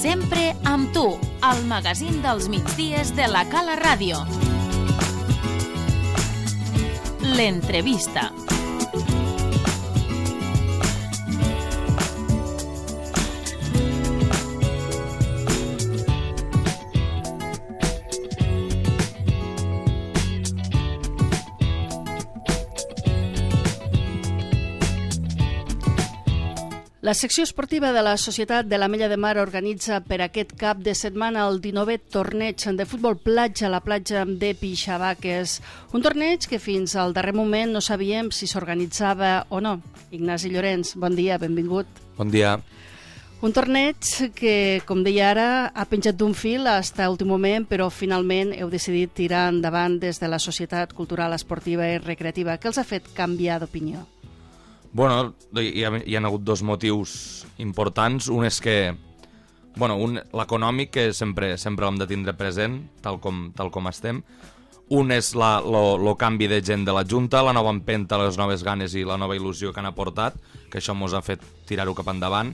Sempre amb tu, al magazín dels migdies de la Cala Ràdio. L'entrevista. La secció esportiva de la Societat de l'Ametlla de Mar organitza per aquest cap de setmana el 19è torneig de futbol platja a la platja de Pixavaques. Un torneig que fins al darrer moment no sabíem si s'organitzava o no. Ignasi Llorenç, bon dia, benvingut. Bon dia. Un torneig que, com deia ara, ha penjat d'un fil fins a l'últim moment, però finalment heu decidit tirar endavant des de la Societat Cultural, Esportiva i Recreativa. Què els ha fet canviar d'opinió? Bueno, hi ha hagut dos motius importants. Un és que, l'econòmic, que sempre l'hem de tindre present, tal com estem. Un és el canvi de gent de la Junta, la nova empenta, les noves ganes i la nova il·lusió que han aportat, que això ens ha fet tirar-ho cap endavant.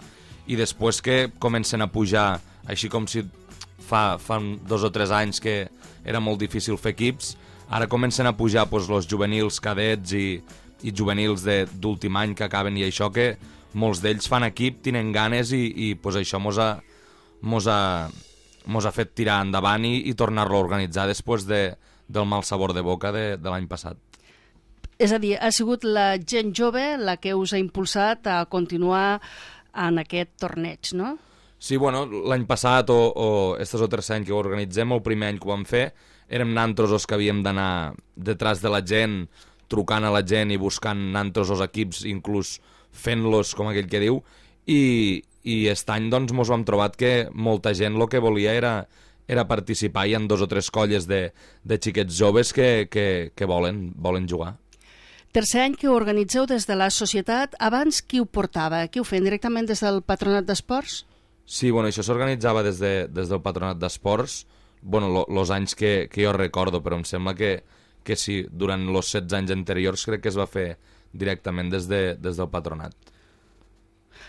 I després que comencen a pujar, així com si fa 2 o 3 anys que era molt difícil fer equips, ara comencen a pujar els juvenils, cadets i juvenils d'últim any que acaben, i això que molts d'ells fan equip, tenen ganes i això mos ha fet tirar endavant i tornar-lo a organitzar després del mal sabor de boca de l'any passat. És a dir, ha sigut la gent jove la que us ha impulsat a continuar en aquest torneig, no? Sí, l'any passat o estos o 3 anys que ho organitzem, el primer any que ho vam fer, érem nantros els que havíem d'anar detrás de la gent, trucant a la gent i buscant nantros els equips, inclús fent-los, com aquell que diu, i aquest any mos vam trobar que molta gent el que volia era participar. Hi ha 2 o 3 colles de xiquets joves que volen jugar. Tercer any que ho organitzeu des de la societat. Abans qui ho portava? Qui ho feien directament des del Patronat d'Esports? Sí, això s'organitzava des del Patronat d'Esports, els anys que jo recordo, però em sembla que sí, durant els 16 anys anteriors crec que es va fer directament des del Patronat.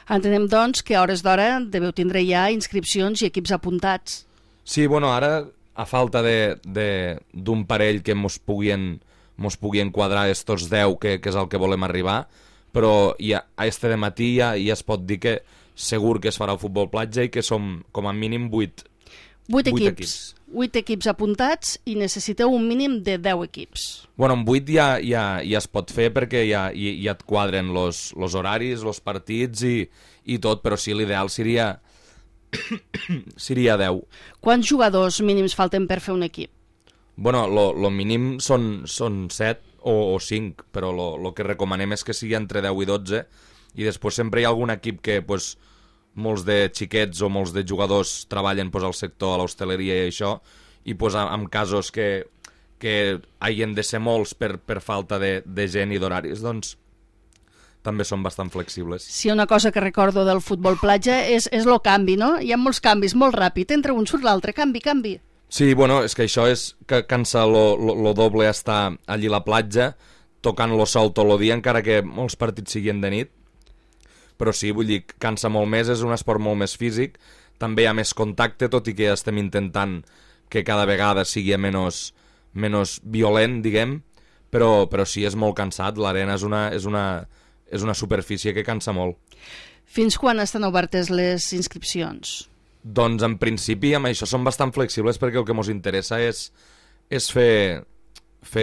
Entenem, doncs, que a hores d'hora deveu tindre ja inscripcions i equips apuntats. Sí, ara, a falta d'un parell que mos puguin quadrar estos 10, que és el que volem arribar, però ja, a este de matí ja es pot dir que segur que es farà el futbol platja i que som com a mínim 8 equips. 8 equips apuntats i necessiteu un mínim de 10 equips. Amb 8 ja es pot fer perquè ja et quadren los horaris, los partits i tot, però sí, l'ideal seria 10. Quants jugadors mínims falten per fer un equip? Lo mínim són 7 o 5, però lo que recomanem és que sigui entre 10 i 12, i després sempre hi ha algun equip que molts de xiquets o molts de jugadors treballen al sector, a l'hostaleria i això, i en casos que hagin de ser molts per falta de gent i d'horaris, doncs també són bastant flexibles. Sí, una cosa que recordo del futbol platja és el canvi, no? Hi ha molts canvis, molt ràpid, entre un surt l'altre, canvi. Sí, és que això és que cansa lo doble estar allí a la platja, tocant lo sol tot el dia, encara que molts partits siguin de nit, però sí, vull dir, cansa molt més, és un esport molt més físic, també hi ha més contacte, tot i que estem intentant que cada vegada sigui menys violent, diguem, però sí, és molt cansat, l'arena és una superfície que cansa molt. Fins quan estan obertes les inscripcions? Doncs en principi amb això som bastant flexibles perquè el que ens interessa és fer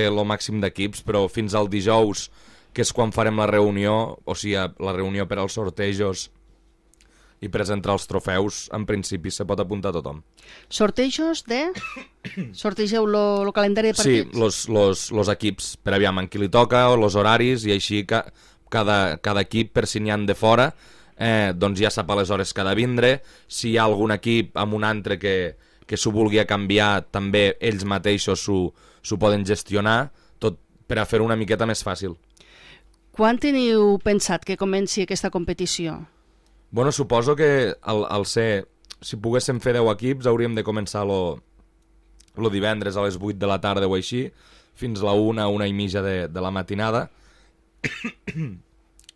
el màxim d'equips, però fins al dijous, que és quan farem la reunió, o sigui, la reunió per als sortejos i presentar els trofeus, en principi se pot apuntar tothom. Sortejos de? Sortegeu el calendari de partits? Sí, los equips, per aviam en qui li toca, o els horaris, i així cada equip, per si n'hi han de fora, doncs ja sap aleshores que ha de vindre. Si hi ha algun equip amb un altre que s'ho vulgui canviar, també ells mateixos s'ho poden gestionar, tot per a fer-ho una miqueta més fàcil. Quan teniu pensat que comenci aquesta competició? Suposo que si poguéssim fer 10 equips hauríem de començar el divendres a les 8 de la tarda o així, fins a la 1:30 de la matinada.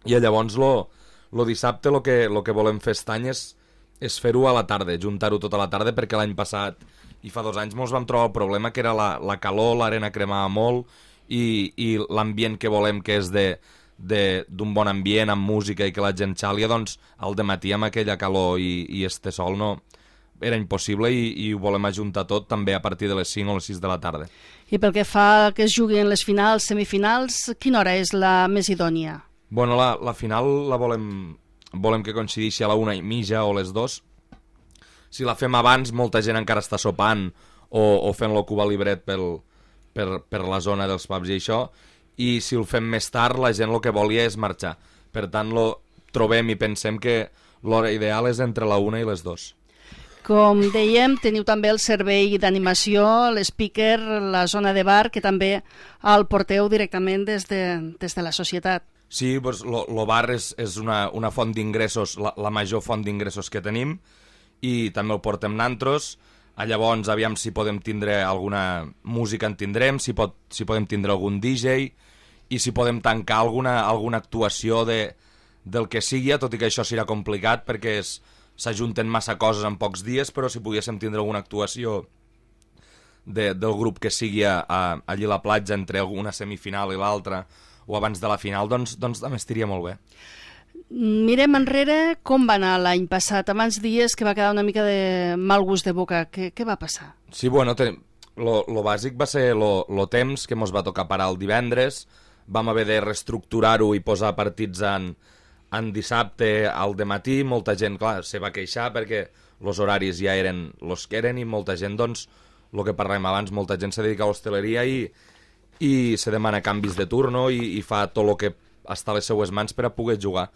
I llavors el dissabte el que volem fer aquest any és és fer-ho a la tarda, juntar-ho tota la tarda, perquè l'any passat i fa 2 anys mos vam trobar el problema que era la calor, l'arena cremava molt i l'ambient que volem, que és d'un bon ambient, amb música i que la gent xàlia, doncs al dematí amb aquella calor i este sol no era impossible i ho volem ajuntar tot també a partir de les 5 o les 6 de la tarda. I pel que fa que es juguin les finals, semifinals, quina hora és la més idònia? Bueno, la final la volem que coincideixi a la 1:30 o les 2. Si la fem abans, molta gent encara està sopant o fent-lo Cuba Libret per la zona dels pubs i això, i si ho fem més tard, la gent el que volia és marxar. Per tant, trobem i pensem que l'hora ideal és entre la 1 i les 2. Com dèiem, teniu també el servei d'animació, l'speaker, la zona de bar, que també el porteu directament des de la societat. Sí, doncs, el bar és una font d'ingressos, la major font d'ingressos que tenim, i també el portem nantros. Llavors, aviam si podem tindre alguna música en tindrem, si podem tindre algun DJ, i si podem tancar alguna actuació del que sigui, tot i que això serà complicat perquè s'ajunten massa coses en pocs dies, però si poguéssim tindre alguna actuació del grup que sigui allí a la platja entre una semifinal i l'altra, o abans de la final, doncs també estiria molt bé. Mirem enrere com va anar l'any passat. Abans dies que va quedar una mica de mal gust de boca. Què va passar? Sí, bueno, lo bàsic va ser lo temps, que mos va tocar parar el divendres. Vam haver de reestructurar-ho i posar partits en dissabte al dematí. Molta gent, clar, se va queixar perquè els horaris ja eren els que eren i molta gent, doncs, el que parlàvem abans, molta gent se dedica a l'hostaleria i se demana canvis de turno i fa tot el que està a les seues mans per a poder jugar.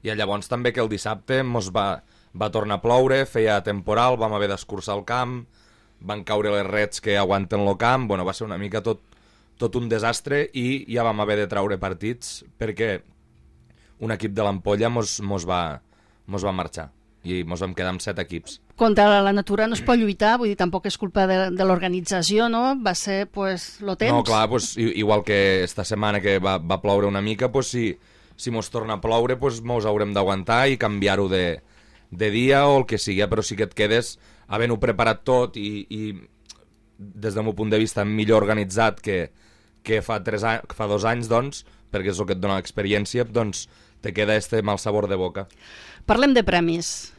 I llavors també que el dissabte mos va tornar a ploure, feia temporal, vam haver d'escurçar el camp, van caure les rets que aguanten el camp, bueno, va ser una mica tot un desastre i ja vam haver de traure partits perquè un equip de l'Ampolla mos va marxar i mos vam quedar amb 7 equips. Contra la natura no es pot lluitar, vull dir, tampoc és culpa de l'organització, no? Va ser, pues, lo temps. No, clar, pues, igual que esta setmana que va ploure una mica, pues, si mos torna a ploure, pues, mos haurem d'aguantar i canviar-ho de dia o el que sigui, però sí que et quedes havent-ho preparat tot i des del meu punt de vista millor organitzat que fa 2 anys, doncs, perquè és el que et dona l'experiència, doncs te queda este mal sabor de boca. Parlem de premis.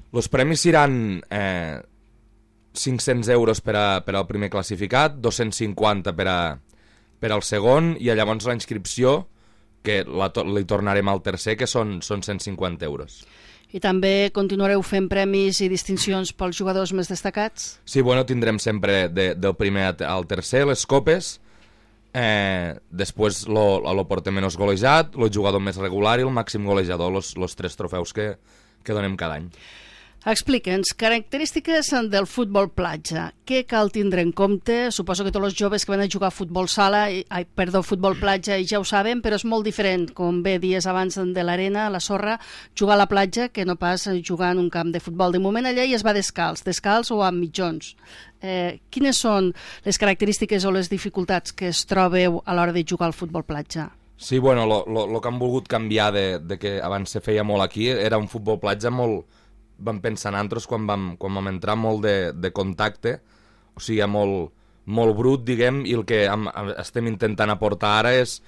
Els premis seran 500 euros per al primer classificat, 250 per al segon, i llavors la inscripció, que li tornarem al tercer, que són 150 euros. I també continuareu fent premis i distincions pels jugadors més destacats? Sí, bueno, tindrem sempre del primer al tercer les copes, després lo porter menys golejat, el jugador més regular i el màxim golejador, los 3 trofeus que donem cada any. Explica'ns, característiques del futbol platja. Què cal tindre en compte? Suposo que tots els joves que van a jugar a futbol futbol platja ja ho saben, però és molt diferent, com bé dies abans de l'arena, a la sorra, jugar a la platja que no pas jugar en un camp de futbol. De moment allà ja es va descalç o amb mitjons. Quines són les característiques o les dificultats que es trobeu a l'hora de jugar al futbol platja? Sí, bueno, lo que han volgut canviar de que abans se feia molt aquí era un futbol platja molt... Vam pensar nosaltres quan vam entrar molt de contacte, o sigui, molt brut, diguem, i el que estem intentant aportar ara és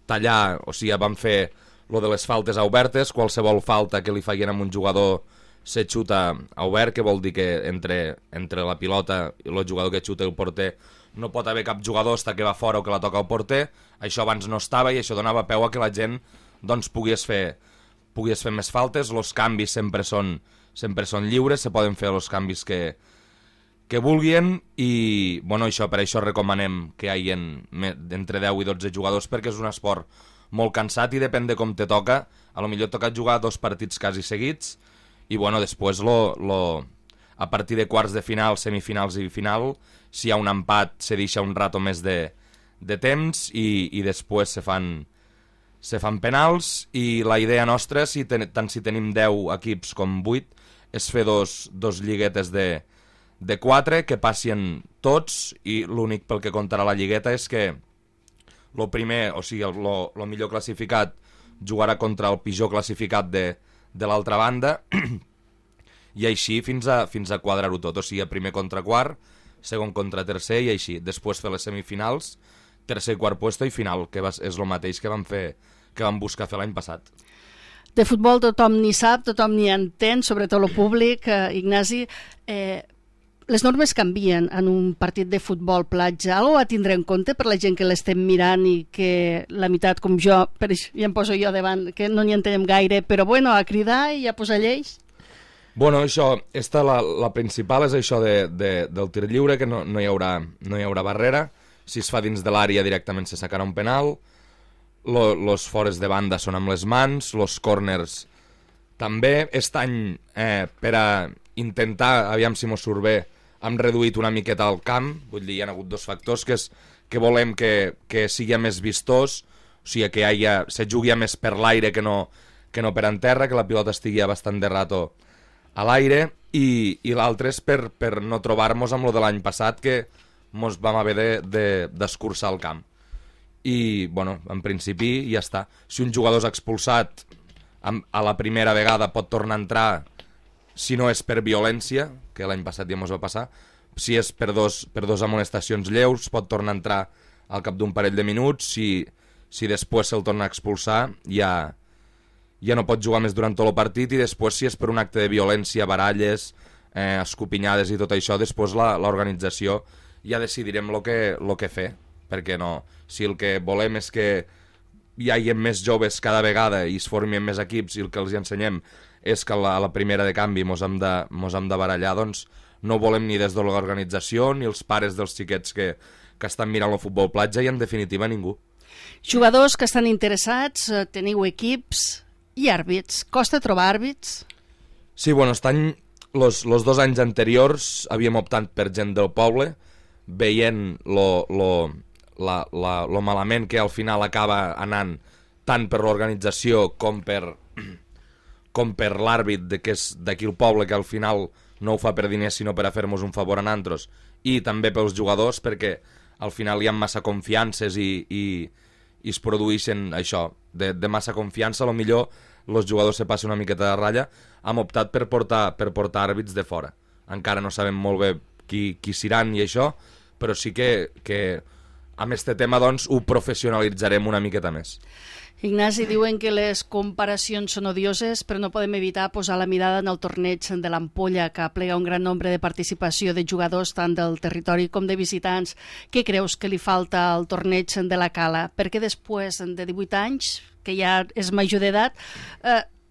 tallar, o sigui, vam fer lo de les faltes obertes, qualsevol falta que li feien a un jugador se xuta a obert, que vol dir que entre la pilota i el jugador que xuta i el porter no pot haver cap jugador hasta que va fora o que la toca al porter. Això abans no estava i això donava peu a que la gent doncs, pogués fer més faltes. Els canvis sempre són lliures, se poden fer els canvis que vulguin i bueno, per això recomanem que hi hagi entre 10 i 12 jugadors perquè és un esport molt cansat i depèn de com te toca. A lo millor toca jugar 2 partits quasi seguits i bueno, després a partir de quarts de final, semifinals i final, si hi ha un empat se deixa un rato més de temps i després se fan penals i la idea nostra, tant si tenim 10 equips com 8, és fer dos lliguetes de 4 que passin tots i l'únic pel que comptarà la lligueta és que el primer, o sigui, el millor classificat jugarà contra el pitjor classificat de l'altra banda i així fins a quadrar-ho tot, o sigui, primer contra quart, segon contra tercer i així, després fer les semifinals, tercer i quart puesto i final, que és el mateix que vam buscar fer l'any passat. De futbol tothom n'hi sap, tothom n'hi entén, sobretot el públic, Ignasi. Les normes canvien en un partit de futbol platja. Algo a tindre en compte per la gent que l'estem mirant i que la meitat, com jo, ja em poso jo davant, que no n'hi entenem gaire, però bueno, a cridar i a posar lleis? Bueno, això, la principal és això del tir lliure, que no hi haurà barrera. Si es fa dins de l'àrea directament se sacarà un penal. Los fores de banda són amb les mans, los corners també. Aquest any, per a intentar, aviam si mos surt bé, hem reduït una miqueta el camp, vull dir, hi ha hagut dos factors, que és que volem que sigui més vistós, o sigui, que se jugui més per l'aire que no per en terra, que la pilota estigui bastant de rato a l'aire, i l'altre és per no trobar-nos amb lo de l'any passat, que mos vam haver d'escurçar el camp. I, bueno, en principi ja està. Si un jugador és expulsat a la primera vegada pot tornar a entrar, si no és per violència, que l'any passat ja mos va passar, si és per dos amonestacions lleus, pot tornar a entrar al cap d'un parell de minuts, si després se'l torna a expulsar, ja no pot jugar més durant tot el partit, i després si és per un acte de violència, baralles, escopinyades i tot això, després l'organització ja decidirem lo que fer, perquè no, si el que volem és que hi hagi més joves cada vegada i es formin més equips i el que els ensenyem és que a la primera de canvi mos hem de barallar, doncs no volem ni des de l'organització ni els pares dels xiquets que estan mirant el futbol platja i en definitiva ningú. Jugadors que estan interessats, teniu equips i àrbits. Costa trobar àrbits? Sí, bueno, aquest any, los 2 anys anteriors havíem optat per gent del poble, veient lo malament que al final acaba anant tant per l'organització com per l'àrbit que és d'aquí el poble, que al final no ho fa per diners sinó per a fer-nos un favor a nosaltres, i també pels jugadors, perquè al final hi ha massa confiances i es produeixen això, de massa confiança. A lo millor els jugadors se passen una miqueta de ratlla. Hem optat per portar àrbits de fora. Encara no sabem molt bé qui seran i això, però sí que amb este tema doncs ho professionalitzarem una miqueta més. Ignasi, diuen que les comparacions són odioses, però no podem evitar posar la mirada en el torneig de l'Ampolla, que aplega un gran nombre de participació de jugadors tant del territori com de visitants. Què creus que li falta al torneig de la Cala? Perquè després de 18 anys, que ja és major d'edat,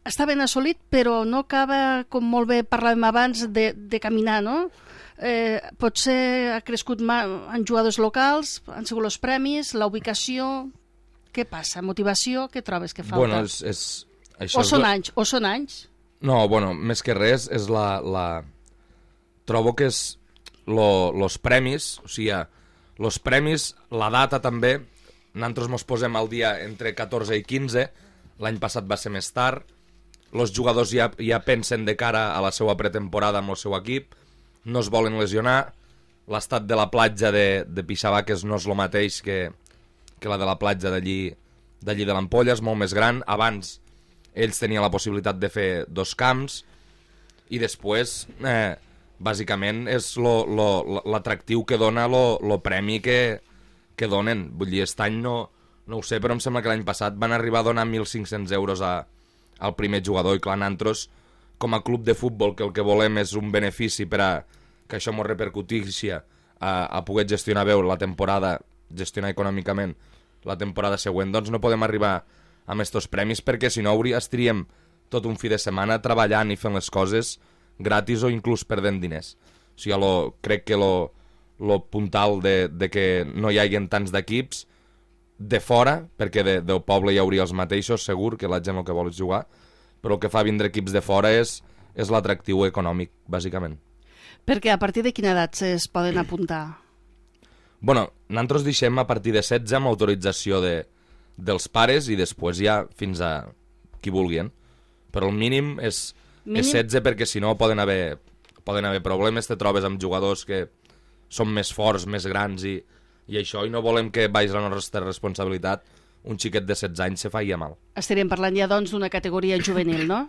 està ben assolit, però no acaba, com molt bé parlàvem abans, de caminar, no? Potser ha crescut en jugadors locals, han sigut els premis, la ubicació. Què passa? Motivació? Què trobes que falta? Bueno, això o són anys? No, bueno, més que res és trobo que és los premis, o sigui, los premis, la data també, nosaltres mos posem al dia entre 14 i 15, l'any passat va ser més tard, els jugadors ja pensen de cara a la seva pretemporada amb el seu equip, no es volen lesionar, l'estat de la platja de Pixabaques no és el mateix que la de la platja d'allí de l'Ampolla, és molt més gran. Abans ells tenien la possibilitat de fer 2 camps i després bàsicament és l'atractiu que dona lo premi que donen. Vull dir, aquest any no ho sé, però em sembla que l'any passat van arribar a donar 1.500 euros al primer jugador, i clar, nosaltres com a club de futbol, que el que volem és un benefici per a que això ens repercutixi a poder gestionar bé la temporada, gestionar econòmicament la temporada següent, doncs no podem arribar amb estos premis, perquè si no estaríem tot un fi de setmana treballant i fent les coses gratis o inclús perdent diners. O sigui, crec que lo puntal de que no hi hagin tants d'equips de fora, perquè del poble hi hauria els mateixos, segur que la gent el que vol és jugar, però el que fa vindre equips de fora és l'atractiu econòmic, bàsicament. Perquè a partir de quina edat es poden apuntar? Bueno, nosaltres deixem a partir de 16 amb autorització dels pares i després ja fins a qui vulguin. Però el mínim és 16, perquè si no poden haver problemes, te trobes amb jugadors que són més forts, més grans i això, i no volem que vagi la nostra responsabilitat un xiquet de 16 anys se faci mal. Estaríem parlant ja doncs d'una categoria juvenil, no?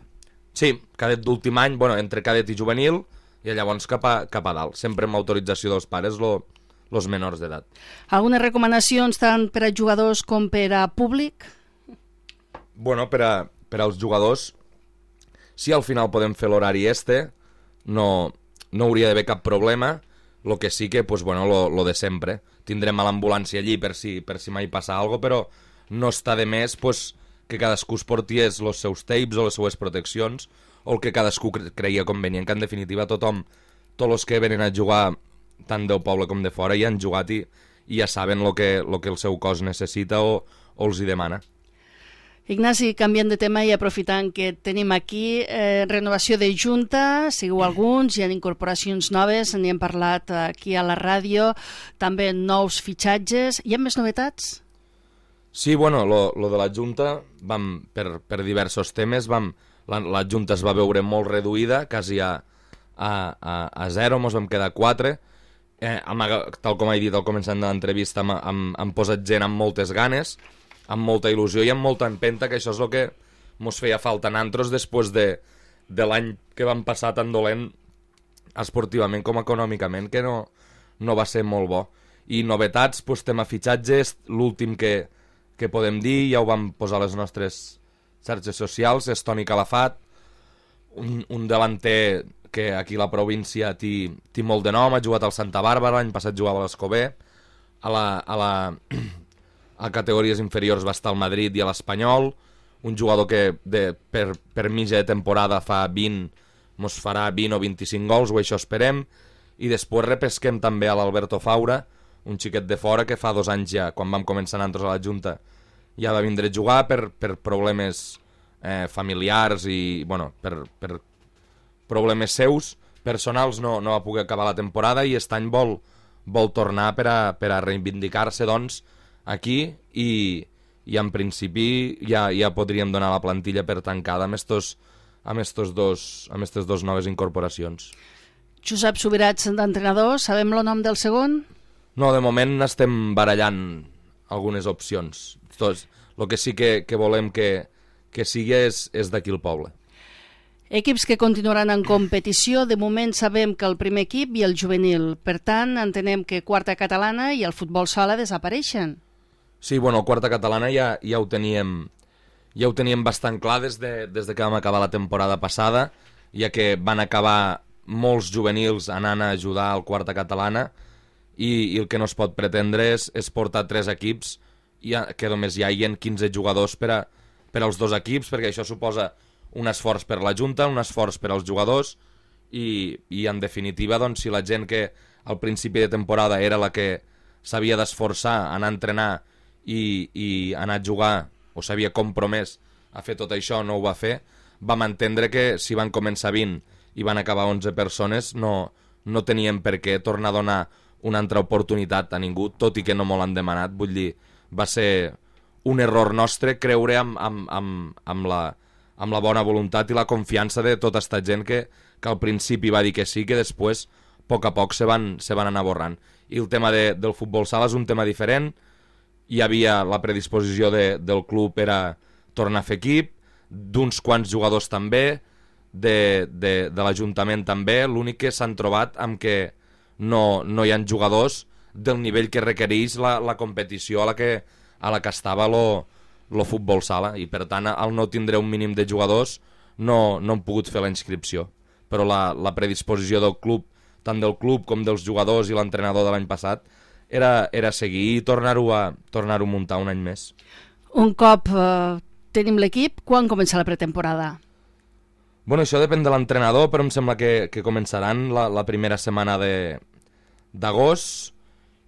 Sí, cadet d'últim any, entre cadet i juvenil, i llavors cap a dalt, sempre amb autorització dels pares, els menors d'edat. Algunes recomanacions tant per a jugadors com per a públic? Per als jugadors, si al final podem fer l'horari no hauria d'haver cap problema. Lo que sí que, lo de sempre. Tindrem a l'ambulància allí per si mai passa alguna cosa, però no està de més que cadascú es porti els seus tapes o les seues proteccions, o el que cadascú creia convenient, que en definitiva tots els que venen a jugar tant del poble com de fora ja han jugat i ja saben el que el seu cos necessita o els hi demana. Ignasi, canviant de tema i aprofitant que tenim aquí renovació de Junta, sigueu alguns, hi ha incorporacions noves, n'hi hem parlat aquí a la ràdio, també nous fitxatges. Hi ha més novetats? Sí, lo de la Junta, per diversos temes, la Junta es va veure molt reduïda, quasi a zero, ens vam quedar 4. Tal com he dit al començament de l'entrevista, hem posat gent amb moltes ganes, amb molta il·lusió i amb molta empenta, que això és el que ens feia falta a nosaltres després de l'any que vam passar tan dolent esportivament com econòmicament, que no va ser molt bo. I novetats, tema fitxatges, l'últim que podem dir, ja ho vam posar a les nostres xarxes socials, és Toni Calafat, un delanter que aquí a la província té molt de nom, ha jugat al Santa Bàrbara, l'any passat jugava a l'Escobé, a categories inferiors va estar al Madrid i a l'Espanyol, un jugador que per mitja de temporada mos farà 20 o 25 gols, o això esperem, i després repesquem també a l'Alberto Faura, un xiquet de fora que fa 2 anys ja, quan vam començar nosaltres a la Junta, ja va vindre a jugar per problemes familiars i per problemes seus personals no va poder acabar la temporada i aquest any vol tornar per a reivindicar-se aquí i en principi ja podríem donar la plantilla per tancada amb aquestes dos noves incorporacions. Josep Subirats, d'entrenador, sabem el nom del segon? No, de moment estem barallant algunes opcions. El que sí que volem que sigui és d'aquí el poble. Equips que continuaran en competició, de moment sabem que el primer equip i el juvenil. Per tant, entenem que quarta catalana i el futbol sala desapareixen. Sí, el quarta catalana ja ho teníem bastant clar des de que vam acabar la temporada passada, ja que van acabar molts juvenils anant a ajudar al quarta catalana i el que no es pot pretendre és portar 3 equips que només hi hagi 15 jugadors per als 2 equips, perquè això suposa un esforç per la Junta, un esforç per als jugadors i en definitiva, si la gent que al principi de temporada era la que s'havia d'esforçar, anar a entrenar i anar a jugar, o s'havia compromès a fer tot això, no ho va fer, vam entendre que si van començar 20 i van acabar 11 persones, no tenien per què tornar a donar una altra oportunitat a ningú, tot i que no m'ho l'han demanat. Vull dir, va ser un error nostre creure amb la bona voluntat i la confiança de tota aquesta gent que al principi va dir que sí, que després, a poc a poc, se van anar borrant. I el tema del futbol sala és un tema diferent. Hi havia la predisposició del club per a tornar a fer equip, d'uns quants jugadors també, de l'Ajuntament també. L'únic que s'han trobat amb que no hi ha jugadors del nivell que requereix la competició a la que estava el futbol sala, i per tant al no tindre un mínim de jugadors no hem pogut fer la inscripció, però la predisposició del club, tant del club com dels jugadors i l'entrenador de l'any passat, era seguir i tornar-ho a muntar un any més. Un cop tenim l'equip, quan comença la pretemporada? Això depèn de l'entrenador, però em sembla que començaran la primera setmana d'agost.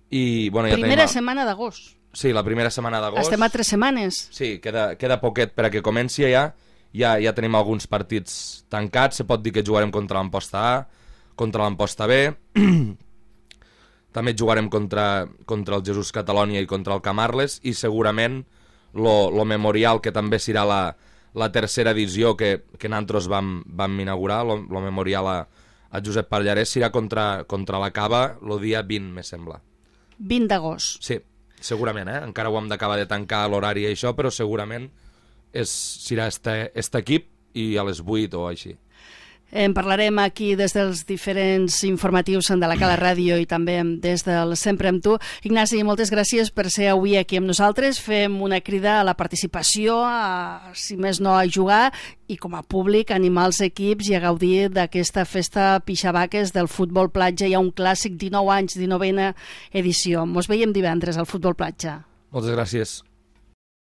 Primera setmana d'agost? Sí, la primera setmana d'agost. Estem a 3 setmanes. Sí, queda poquet per a que comenci ja. Ja tenim alguns partits tancats. Se pot dir que jugarem contra l'Amposta A, contra l'Amposta B. També jugarem contra el Jesús Catalònia i contra el Camarles, i segurament lo Memorial, que també serà la tercera edició que nosaltres vam inaugurar, lo Memorial a Josep Pallarès, serà contra la Cava el dia 20, me sembla. 20 d'agost. Sí, segurament, encara ho hem d'acabar de tancar l'horari i això, però segurament serà este equip i a les 8 o així. En parlarem aquí des dels diferents informatius de la Cala Ràdio i també des del Sempre amb tu. Ignasi, moltes gràcies per ser avui aquí amb nosaltres. Fem una crida a la participació, si més no a jugar, i com a públic animar els equips i a gaudir d'aquesta festa Pixabaques del futbol platja. Hi ha un clàssic, 19 anys, 19a edició. Mos veiem divendres al futbol platja. Moltes gràcies.